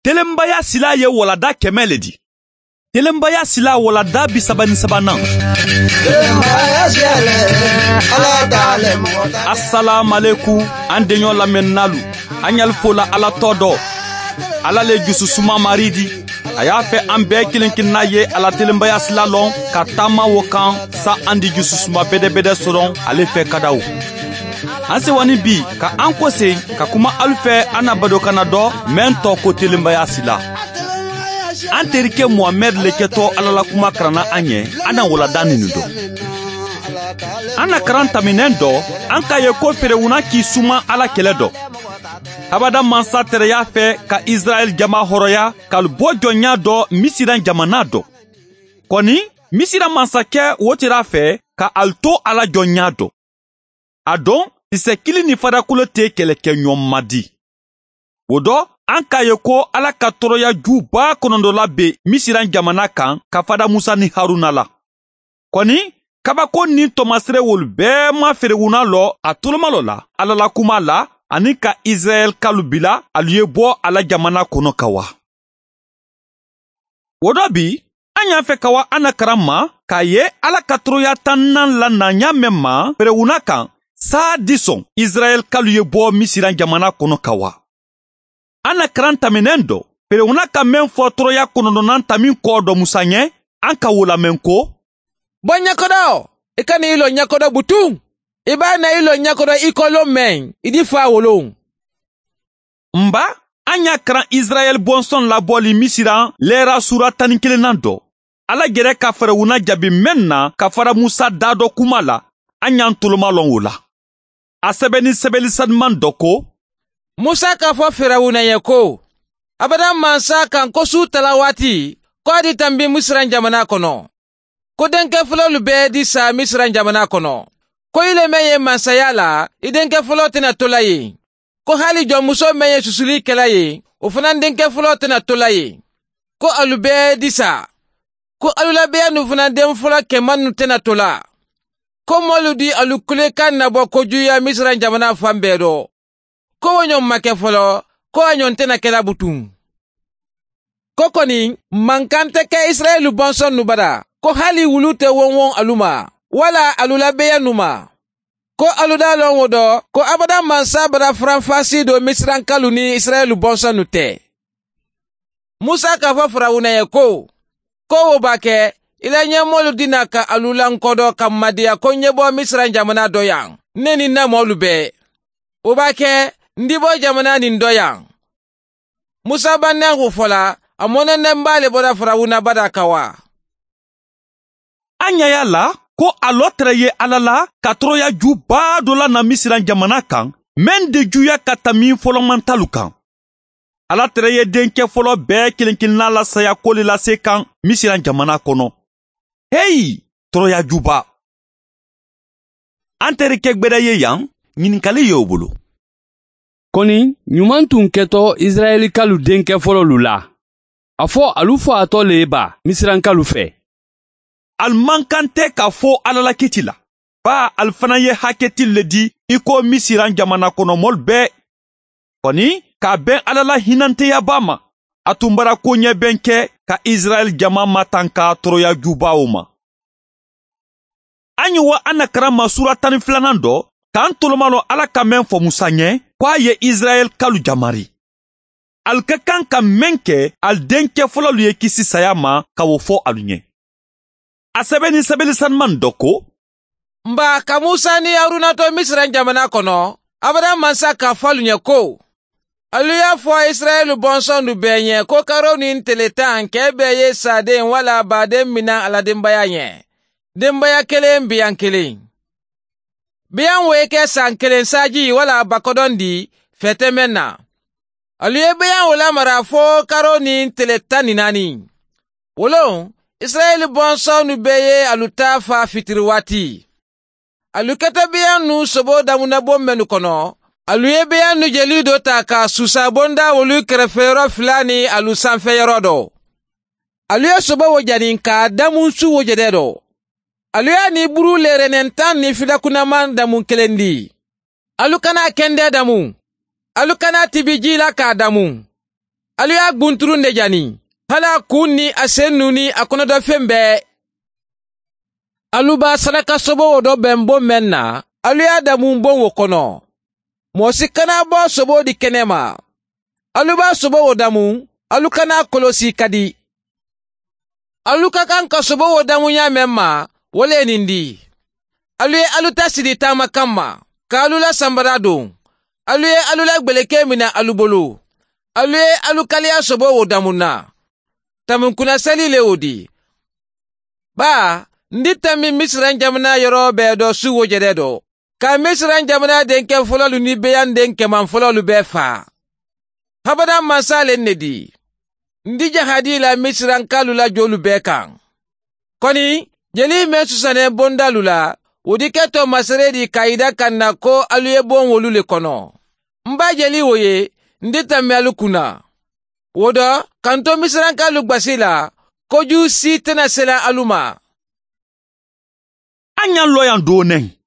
Telenbaya sila ye walada 100 le di. Telenbaya sila walada 33nan. Assalamu alaikum an denɲɔ lamɛnnalu. An y'al fola Ala tɔ dɔ. Ala le jususuma mari di. A y'a fɛ an bɛɛ kelen kelenna ye ala telenbaya sila lɔn ka taama wo kan sa an di jususuma bɛdɛbɛdɛ sɔrɔ ale fɛ kadaw. An sewani bi ka an kɔse ka kuma alu fɛ an na badokana dɔ mɛn tɔ ko telenbaya sila. An terikɛ Mohamɛd le kɛtɔ Ala la kuma karanna an ɲɛ, an na walada nin dɔ. An na karan taminɛn dɔ, an k'a ye ko Ferewuna k'i suma Ala kɛlɛ dɔ. Habada mansa tɛrɛ y'a fɛ ka Israɛl jama hɔrɔnya k'alu bɔ jɔnya dɔ Misiran jamana dɔ. Kɔni, Misiran mansakɛ wo tɛrɛ a fɛ ka alu to ala jɔnya dɔ. A don, kisɛ kili ni farakolo tɛ kɛlɛkɛ ɲɔgɔn ma di. O dɔ, an k'a ye ko Ala ka tɔɔrɔya juba kɔnɔntɔn bɛ Misiran jamana kan ka fada Musa ni Haruna la. Kɔni, kabako ni tɔmasere wolu bɛɛ ma Ferewuna lɔ a tolomalɔ la Ala la kuma la ani ka Israɛl kalu bila alu ye bɔ a la jamana kɔnɔ ka wa. O dɔ bi, an y'a fɛ ka wa an na karan ma k'a ye Ala ka tɔɔrɔya tannan la na ɲa mɛn ma Ferewuna kan saa di sɔn Israɛl kalu ye bɔ Misiran jamana kɔnɔ ka wa. An na karan taminɛn dɔ, Ferewuna ka mɛn fɔ tɔɔrɔya kɔnɔntɔnnan tamin kɔ dɔ Musa ɲɛ, an ka wo lamɛn ko: Bɔ ɲɛkɔrɔ, i ka n'i lɔ ɲɛkɔrɔ butun. I b'a na i lɔ ɲɛkɔrɔ i kɔlɔ mɛn, i di fa wolo. Nba, an y'a karan Israɛl bɔnsɔn labɔli Misiran lɛra sura 11nan dɔ. Ala gɛrɛ ka Ferewuna jaabi mɛn na ka fara Musa da dɔ kuma la, an y'an toloma lɔn o la. A sɛbɛnni sɛbɛnni sanuman dɔ ko: Musa k'a fɔ Ferewuna ye ko, Abada mansa kan ko su tala waati, ko a di tanbi Misiran jamana kɔnɔ. Ko denkɛ fɔlɔlu bɛɛ di sa Misiran jamana kɔnɔ. Ko ile mɛn ye mansaya la, i denkɛ fɔlɔ tɛna to la yen. Ko hali jɔnmuso mɛn ye susuli kɛla ye, o fana denkɛ fɔlɔ tɛna to la yen. Ko alu bɛɛ di sa. Ko alu labeya nu fana den fɔlɔ kɛman nu tɛna to la. Ko mɔlu di alu kulekan nabɔ kojuya Misiran jamana fan bɛɛ dɔ. Ko o ɲɔgɔn ma kɛ fɔlɔ, ko a ɲɔgɔn tɛna kɛla butun. Ko kɔni, mankan tɛ kɛ Israɛlu bɔnsɔn nu bara, ko hali wulu tɛ wɔnwɔn alu ma, wala alu labeya nu ma. Ko alu da lɔn o dɔ, ko abada mansa bara faranfasi don Misirankalu ni Israɛlu bɔnsɔn nu tɛ. Musa k'a fɔ Farawuna ye ko, ko o b'a kɛ, i la ɲɛmɔlu dina ka alu lankɔdɔ ka madiya ko n ye bɔ Misiran jamana dɔ yan, ne ni n na mɔlu bɛɛ. O b'a kɛ, n di bɔ jamana nin dɔ yan. Musa bannen k'o fɔla, a mɔnɛnɛnba le bɔra Farawuna bada ka wa. An ɲɛ y'a la ko a lɔ tɛrɛ ye Ala la ka tɔɔrɔya juba dɔ la na Misiran jamana kan, mɛn de juya ka tami fɔlɔmantalu kan. Ala tɛrɛ ye denkɛ fɔlɔ bɛɛ kelen kelenna la saya ko le lase kan Misiran jamana kɔnɔ. Heyi, tɔɔrɔya juba! An terikɛ gbɛdɛ ye yan, ɲininkali y'o bolo. Kɔni, ɲuman tun kɛtɔ Israɛlikalu denkɛ fɔlɔlu la. A fɔ alu fɔ a tɔ le ye ba Misirankalu fɛ. Al man kan tɛ k'a fɔ Ala la kiti la. Ba al fana ye hakɛti le di i ko Misiran jamana kɔnɔ mɔlu bɛɛ. Kɔni, k'a bɛn Ala la hinɛnteyaba ma, a tun bara koɲɛbɛn kɛ ka Israɛl jama matanka tɔɔrɔya jubaw ma. An ye wa an na karan ma sura 12nan dɔ, k'an toloma lɔ Ala ka mɛn fɔ Musa ɲɛ, ko a ye Israɛl kalu jamari. Al ka kan ka mɛn kɛ al denkɛ fɔlɔlu ye kisi saya ma ka o fɔ alu ɲɛ. A sɛbɛnni sɛbɛnni sanuman dɔ ko: Nba ka Musa ni Haruna to Misiran jamana kɔnɔ, Abada mansa k'a fɔ alu ɲɛ ko, alu y'a fɔ Israɛl bɔnsɔn nu bɛɛ ɲɛ ko karo ni tele 10 kɛ bɛɛ ye saden wala baden mina a la denbaya ɲɛ. Denbaya kelen biyan kelen. Biyan wo kɛ san kelen saji wala bakɔdɔn di fɛtɛ mɛn na. Alu ye biyan wo lamara fo karo ni tele 14. Wolon, Israɛl bɔnsɔn nu bɛɛ ye alu ta fa fitiri waati. Alu kɛtɔ biyan nu sobo damunabon mɛnu kɔnɔ, alu ye biyan nu jeli dɔ ta ka susabonda wolu kɛrɛfɛyɔrɔ fila ni alu sanfɛyɔrɔ dɔ. Alu ye sobo wo jani ka damun su wo jɛdɛ dɔ. Alu y'a ni buru lɛrɛnɛn 10 ni filakunnaman damun kelen di. Alu kana kɛndɛ damun. Alu kana tibi ji la k'a damun. Alu y'a gunturun de jani, hali a kun ni a sen nu ni a kɔnɔdɔfɛn bɛɛ. Alu b'a saraka sobo wo dɔ bɛn bon mɛn na, alu y'a damun bon wo kɔnɔ. Mɔgɔ si kana bɔ sobo di kɛnɛ ma. Alu b'a sobo wo damun, alu kana kɔlɔsi ka di. Alu ka kan ka sobo wo damunya mɛn ma, wo le nin di. Alu ye alu ta siri taama kanma, ka alu la sanbara don. Alu ye alu la gbeleke minɛ alu bolo. Alu ye alu kaliya sobo wo damun na. Tamunkuna seli le o di. Ba, n di tanbi Misiran jamana yɔrɔ bɛɛ dɔ su wo jɛrɛ dɔ. Ka Misiran jamana denkɛ fɔlɔlu ni beyan den kɛman fɔlɔlu bɛɛ fa. Habada mansa le ne di. N di jahadi la Misirankalu la jolu bɛɛ kan. Kɔni, jeli mɛn susanɛ bondalu la, o di kɛ tɔ masere di k'a kan na ko alu ye bon wolu le kɔnɔ. N b'a jeli o ye, n di tanbi alu kunna. O dɔ, k'an to Misirankalu gbasi la, koju si tɛna sela alu ma. An y'an lɔ yan don nɛ.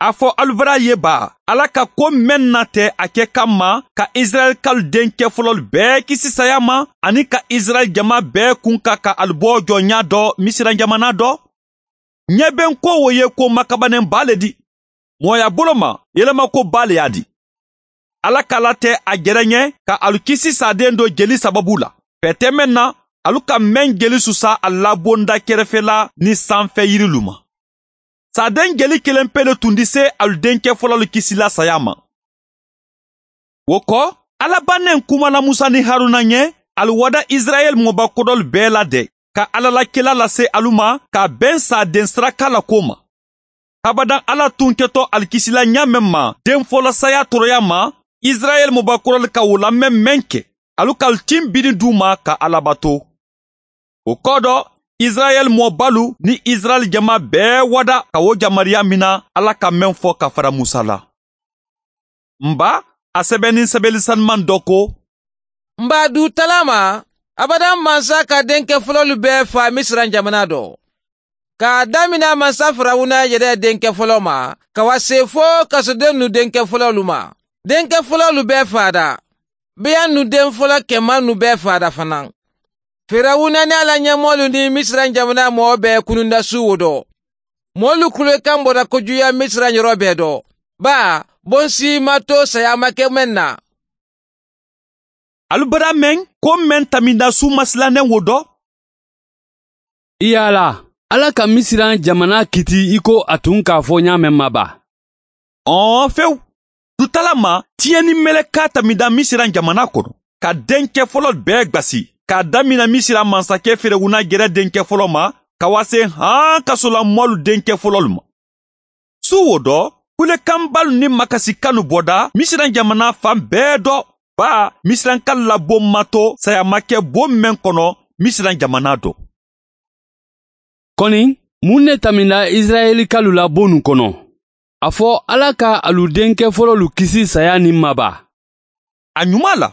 A fɔ alubara ye ba, Ala ka ko mɛn na tɛ a kɛ kama ka Israɛlkalu denkɛ fɔlɔlu bɛɛ kisi saya ma, ani ka Israɛl jama bɛɛ kun ka ka alubɔ jɔnya dɔ Misiran jamana dɔ. Ɲɛ bɛ n ko o ye ko makabannen ba le di. Mɔgɔya bolo ma, yɛlɛma ko ba le y'a di. Ala k'ala tɛ a jɛrɛ ɲɛ ka alu kisi saden dɔ jeli sababu la. Fɛtɛ mɛn na, alu ka mɛn jeli susa a labonda kɛrɛfɛla ni sanfɛ yirilu ma. Saden jeli kelen pe le tun di se alu denkɛ fɔlɔlu kisila saya ma. O kɔ, Ala bannen kumana Musa ni Haruna ɲɛ, alu wada Israɛl mɔbakɔdɔlu bɛɛ la dɛ, ka Ala la kela lase alu ma ka bɛn saden saraka la ko ma. Abadan Ala tun kɛtɔ alikisila ɲa mɛn ma den fɔlɔ saya tɔɔrɔya ma, Israɛl mɔbakɔrɔlu ka o lamɛn mɛn kɛ, alu ka tin biri d'u ma ka Ala bato. O kɔ dɔ, Israɛl mɔbalu ni Israɛl jama bɛɛ wada ka o jamariya mina Ala ka mɛn fɔ ka fara Musa la. Nba, a sɛbɛnni sɛbɛnni sanuman dɔ ko, N b'a du talama, abadan mansa ka denkɛ fɔlɔlu bɛɛ fa Misiran jamana dɔ. K'a damina mansa Firawuna yɛrɛ denkɛ fɔlɔ ma, ka wa se fo kasoden nu denkɛ fɔlɔlu ma. Denkɛ fɔlɔlu bɛɛ fada. Beyan nu den fɔlɔ kɛman nu bɛɛ fada fana. Firawuna ni ala ɲɛmɔlu ni Misiran jamana mɔgɔ bɛɛ kununda su wo dɔ. Mɔlu kulekan bɔra kojuya Misiran yɔrɔ bɛɛ dɔ. Ba, bonsi ma to saya ma kɛ mɛn na. Alu bara mɛn ko mɛn taminda su masilannen wo dɔ? I yala, Ala ka Misiran jamana kiti i ko a tun k'a fɔ ɲa mɛn ma ba. Ɔn fewu. Dutala ma, tiɲɛni mɛlɛka taminda Misiran jamana kɔnɔ, ka denkɛ fɔlɔ bɛɛ gbasi, k'a damina Misira mansakɛ Ferewuna gɛrɛ denkɛ fɔlɔ ma, ka wa se han kasolamɔlu denkɛ fɔlɔlu ma. Su wo dɔ, kulekanbalu ni makasikanu bɔda Misiran jamana fan bɛɛ dɔ, ba Misirankalu la bon ma to saya ma kɛ bon mɛn kɔnɔ Misiran jamana dɔ. Kɔni, mun ne taminda Israɛlikalu la bon kɔnɔ? A fɔ Ala ka alu denkɛ fɔlɔlu kisi saya ni ma ba. A ɲuman la,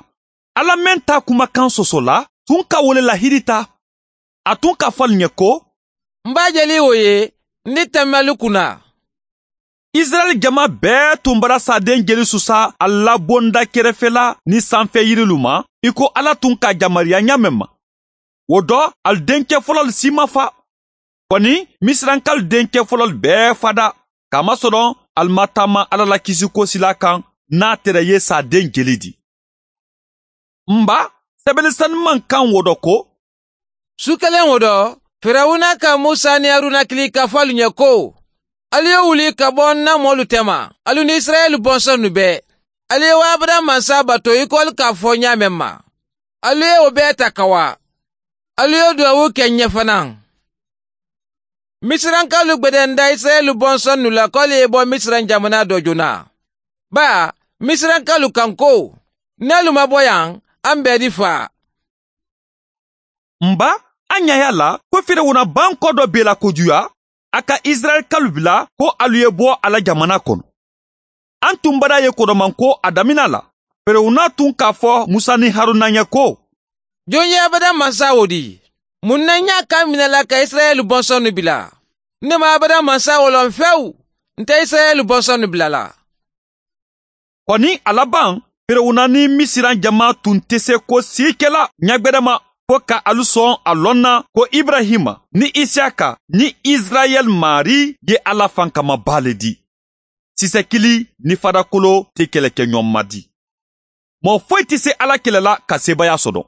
Ala mɛn ta kumakan sɔsɔ la, tun ka wele lahiri ta. A tun ka fɔ alu ɲɛ ko, N b'a jeli o ye, n di tɛmɛ alu kunna. Israɛl jama bɛɛ tun bara saden jeli susa a labonda kɛrɛfɛla ni sanfɛ yirilu ma, i ko Ala tun ka jamariya ɲa mɛn ma. O dɔ, alu denkɛ fɔlɔlu si ma fa. Kɔni, Misirankalu denkɛ fɔlɔlu bɛɛ fada, kamasɔrɔ alu ma taama Ala la kisiko sila kan n'a tɛrɛ ye saden jeli di. Nba, sɛbɛnni sanuman kan wo dɔ ko, Su kelen wo dɔ, Firawuna ka Musa ni Haruna kili ka fɔ alu ɲɛ ko, alu ye wuli ka bɔ n na mɔlu tɛma, alu ni Israɛl bɔnsɔn nu bɛɛ. Alu ye wa Abadan mansa bato i ko alu k'a fɔ ɲa mɛn ma. Alu ye o bɛɛ ta ka wa. Alu ye duwawu kɛ ɲɛ fana. Misirankalu gbɛdɛnda Israɛl bɔnsɔn nu la k'alu ye bɔ Misiran jamana dɔ joona. Ba, Misirankalu kan ko, n'alu ma bɔ yan, an bɛɛ di fa. Nba, an ɲa la ko Firawuna ban kɔ dɔ bela kojuya, a ka Israɛlkalu bila ko alu ye bɔ a la jamana kɔnɔ. An tun bara ye kɔrɔman ko a damina la. Firawuna tun k'a fɔ Musa ni Haruna ɲɛ ko, Jɔn ye Abadan mansa o di? Mun na n y'a kan minɛ la ka Israɛl bɔnsɔn nu bila? Ne ma Abadan mansa o lɔn fewu, n tɛ Israɛl bɔnsɔn nu bila la. Kɔni a laban, Firawuna ni Misiran jama tun tɛ se ko si kɛla ɲagbɛrɛ ma fo ka alu sɔn a lɔn na ko Ibrahima ni Isiyaka ni Israɛl mari ye Ala fankamaba le di. Sisɛkili ni fadakolo tɛ kɛlɛkɛɲɔgɔn ma di. Mɔgɔ foyi tɛ se Ala kɛlɛ la ka sebaaya sɔrɔ.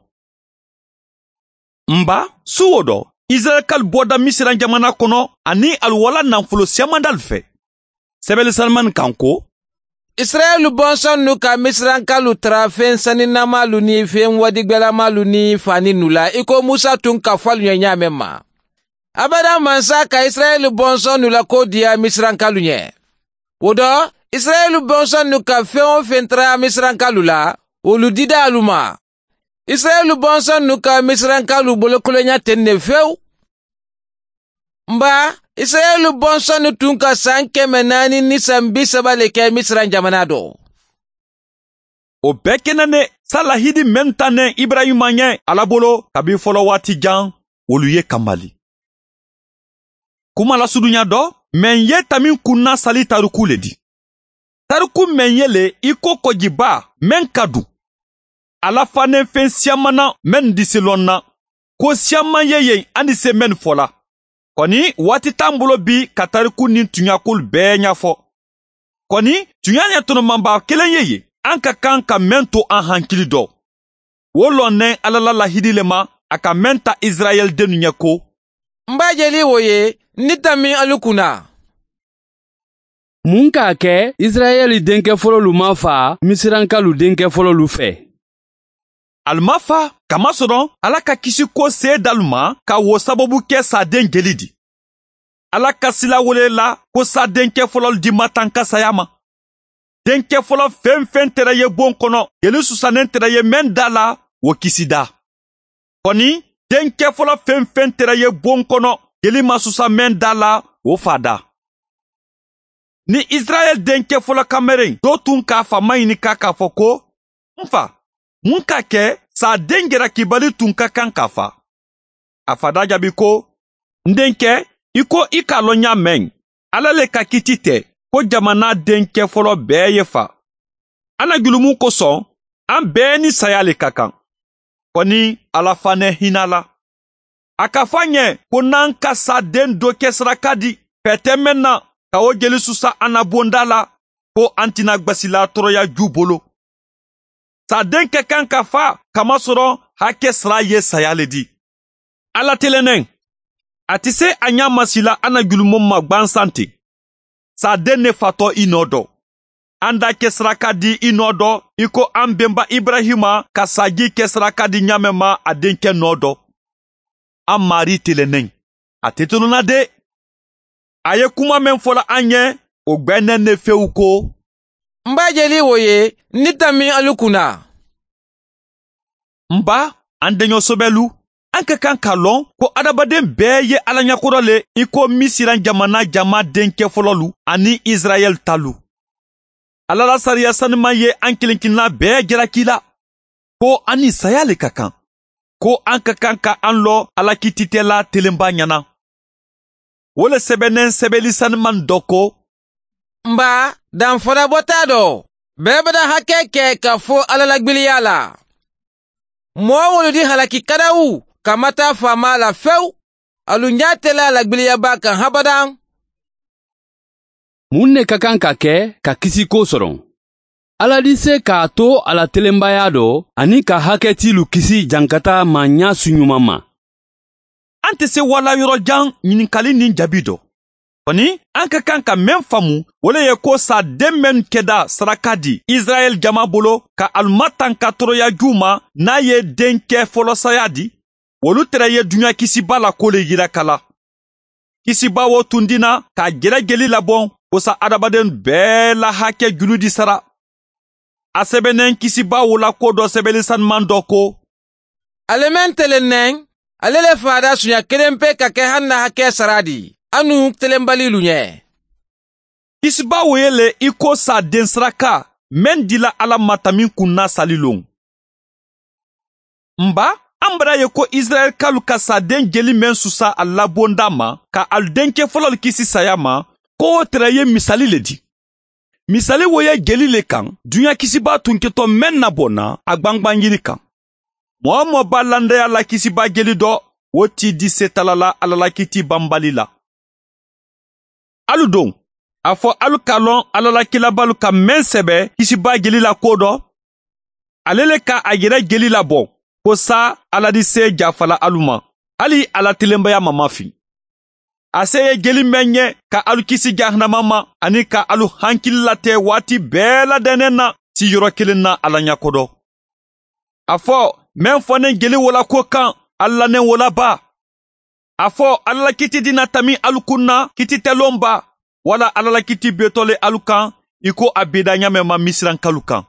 Nba su o dɔ, Israɛlkalu bɔda Misiran jamana kɔnɔ ani alu wala nafolo siyaman dalu fɛ. Sɛbɛnni sanuman kan ko Israɛlu bɔnsɔn nu ka Misirankalu tara fɛn saninamalu ni fɛn wadigbɛlamalu ni fani nu la i ko Musa tun ka fɔ alu ɲɛ ɲa mɛn ma. Abada mansa ka Israɛlu bɔnsɔn nu la ko diya Misirankalu ɲɛ. O dɔ, Israɛlu bɔnsɔn nu ka fɛn o fɛn tara Misirankalu la, olu dida alu ma. Israɛlu bɔnsɔn nu ka Misirankalu bolokolonya ten ne fewu. Nba, Israɛlu bɔnsɔn nu tun ka san 430 le kɛ Misiran jamana dɔ. O bɛɛ kɛnɛ ne salahidi mɛn ta ne Ibrahima ɲɛ Ala bolo kabi fɔlɔ waati jan, olu ye kamali. Kuma lasurunya dɔ, mɛn ye tamin kunna sali tariku le di. Tariku mɛn ye le i ko kɔjiba mɛn ka dun. Ala fanen fɛn siyaman na mɛn di se lɔn na. Ko siyaman ye yen an di se mɛn fɔ la. Kɔni waati t'an bolo bi ka tariku ni tuɲakolu bɛɛ ɲɛfɔ. Kɔni tuɲa ɲɛ tɔnɔmanba kelen ye yen, an ka kan ka mɛn to an hankili dɔ. O lɔnnɛn Ala la lahidi le ma, a ka mɛn ta Israɛl dennu ɲɛ ko. N b'a jeli o ye, ni tami alu kunna. Mun k'a kɛ Israɛl denkɛ fɔlɔlu ma fa Misirankalu denkɛ fɔlɔlu fɛ? Alu ma fa kamasɔrɔ Ala ka kisi ko se dalu ma ka wo sababu kɛ sa den jeli di. Ala ka sila wele la ko sa denkɛ fɔlɔlu di ma tan ka saya ma. Denkɛ fɔlɔ fɛn fɛn tɛrɛ ye bon kɔnɔ, jeli susannen tɛrɛ ye mɛn da la, o kisi da. Kɔni denkɛ fɔlɔ fɛn fɛn tɛrɛ ye bon kɔnɔ, jeli ma susa mɛn da la, o fa da. Ni Israɛl denkɛ fɔlɔ kameren dɔ tun k'a fa maɲininka k'a fɔ ko, n fa, mun ka kɛ sa den jalakibali tun ka kan ka fa? A fa da jaabi ko, n denkɛ, i ko i k'a lɔn ɲa mɛn, Ala le ka kiti tɛ ko jamana denkɛ fɔlɔ bɛɛ ye fa. An na julumun kosɔn, an bɛɛ ni saya le ka kan. Kɔni Ala fanɛ hinɛ la. A ka fɔ an ɲɛ ko n'an ka sa den dɔ kɛ saraka di, fɛ tɛ mɛn na ka o jeli susa an na bonda la, ko an tɛna gbasila tɔɔrɔya ju bolo. Sa den ka kan ka fa kamasɔrɔ hakɛ sara ye saya le di. Ala telenen, a tɛ se a ɲɛ masila an na julumun ma gwansan ten. Sa den ne fatɔ i nɔ dɔ. An da kɛ saraka di i nɔ dɔ, i ko an bɛnba Ibrahima ka saji kɛ saraka di ɲamɛ ma a denkɛ nɔ dɔ. An mari telenen, a tɛ tununna de. A ye kuma min fɔla an ɲɛ, o gbɛnɛ ne fewu ko. N b'a jeli o ye, ni tami alu kunna. N ba, an deɲɔ sɛbɛlu, an ka kan k'a lɔn ko adamaden bɛɛ ye Ala ɲɛkɔrɔ le i ko Misiran jamana jama denkɛ fɔlɔlu ani Israɛl talu. Ala la sariya sanuman ye an kelenkelenna bɛɛ jalaki la ko an ni saya le ka kan, ko an ka kan ka an lɔ Ala kititɛla telenba ɲɛna. O le sɛbɛnnen sɛbɛnni sanuman dɔ ko. Nba, danfara bɔ t'a dɔ. Bɛɛ bɛna hakɛ kɛ ka fɔ Ala lagbiliya la. Mɔgɔ wolu di halaki kadawu ka ma taa faama la fewu. Alu ɲa tɛla lagbiliyaba kan habadan. Mun ne ka kan ka kɛ ka kisi ko sɔrɔ? Ala di se k'a to a la telenbaya dɔ ani ka hakɛtilu kisi jankata ma ɲa su ɲuman ma. An tɛ se wala yɔrɔ jan ɲininkali ni jaabi dɔ. Kɔni, an ka kan ka mɛn faamu, o le ye ko sa den mɛn kɛda saraka di Israɛl jama bolo ka aluma tan ka tɔɔrɔya ju ma n'a ye denkɛ fɔlɔ saya di, olu tɛrɛ ye dunuya kisiba la ko le yira kala. Kisiba wo tun dina ka jɛrɛ jeli labɔn kosa adamaden bɛɛ la hakɛ julu di sara. A sɛbɛnnen kisiba wo la ko dɔ sɛbɛnni sanuman dɔ ko. Ale mɛn telennɛn, ale le fada suɲa kelen pe ka kɛ hali na hakɛ sara di. Anu telenbalilu ɲɛ. Kisiba wo ye le i ko sa den saraka mɛn dila Ala ma tamin kunna sali lon. Nba, an bara ye ko Israɛlkalu ka sa den jeli mɛn susa a labonda ma ka alu denkɛ fɔlɔlu kisi saya ma, ko o tɛrɛ ye misali le di. Misali wo ye jeli le kan, duɲa kisiba tun kɛtɔ mɛn na bɔ na a gbangban yiri kan. Mɔgɔ mɔ b'a landaya la kisiba jeli dɔ, o ti di setala la Ala la kiti banbali la. Alu don, a fɔ alu k'a lɔn Ala la kilabalu ka mɛn sɛbɛ kisiba jeli la ko dɔ, ale le ka a yɛrɛ jeli labɔ, ko sa Ala di se jafala alu ma, hali Ala tilenbaya ma mafin. A se ye jeli mɛn ɲɛ ka alu kisi jahanama ma ani ka alu hankili latɛ waati bɛɛ ladɛnnen na siyɔrɔ kelen na Ala ɲɛkɔdɔ. A fɔ mɛn fɔnen jeli wola ko kan alu lanen wola ba. A fɔ Ala la kiti dina tami alu kun na kiti tɛ ba, wala Ala la kiti betɔ le alu kan i ko a beda ɲamɛ ma Misirankalu kan.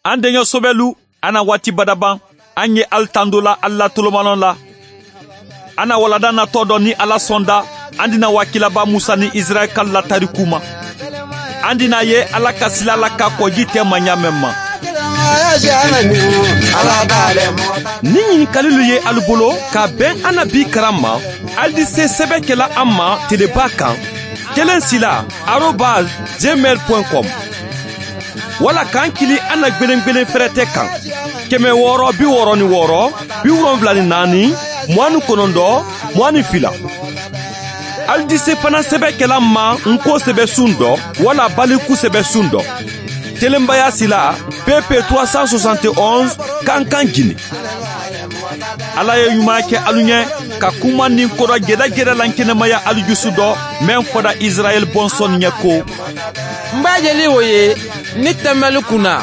An denkɛ sobɛlu, an na waati badaban, an ye alu tando la alu la tolomalɔ la. An na walada natɔ dɔ ni Ala sɔnda, an dina wakilaba Musa ni Israɛl ka la tariku ma. An dina ye Ala ka sila la ka kɔji tɛ maɲa mɛn ma. Ni ɲininkalilu ye alu bolo ka bɛn an na bi karan ma, alu di se sɛbɛ kɛla an ma teleba kan 1 6 @gmail.com wala k'an kili an na gwelen fɛrɛtɛ kan 666 74 29 22. Alu di se fana sɛbɛ kɛla ma nko sɛbɛ sun dɔ wala baliku sɛbɛ sun dɔ. Telenbaya sila PP 371 Kankan Guinée. Ala ye ɲuman kɛ alu ɲɛ ka kuma nin kɔrɔ gɛrɛgɛrɛ la kɛnɛmaya alu jusu dɔ mɛn fɔra Israɛl bɔnsɔn ɲɛ ko. N b'a jeli o ye ni tɛmɛli kunna.